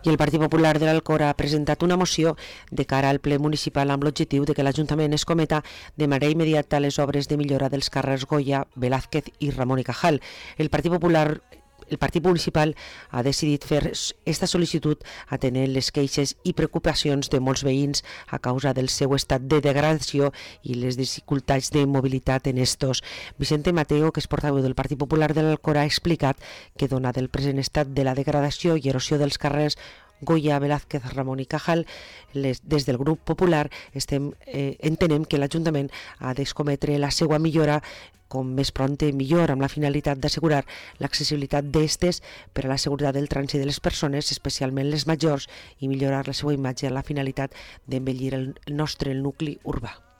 I el Partit Popular de l'Alcora ha presentat una moció de cara al ple municipal amb l'objectiu de que l'Ajuntament es cometa de manera immediata les obres de millora dels carrers Goya, Velázquez i Ramón y Cajal. El Partit Municipal ha decidit fer esta sol·licitud atenent les queixes i preocupacions de molts veïns a causa del seu estat de degradació i les dificultats de mobilitat en estos. Vicente Mateo, que és portaveu del Partit Popular de l'Alcora, ha explicat que, donat el present estat de la degradació i erosió dels carrers Goya, Velázquez, Ramón y Cajal, des del grup popular entenem que l'Ajuntament ha d'escometre la seva millora com més prompte millor, amb la finalitat d'assegurar l'accessibilitat d'estes per a la seguretat del trànsit de les persones, especialment les majors, i millorar la seva imatge amb la finalitat d'embellir el nostre nucli urbà.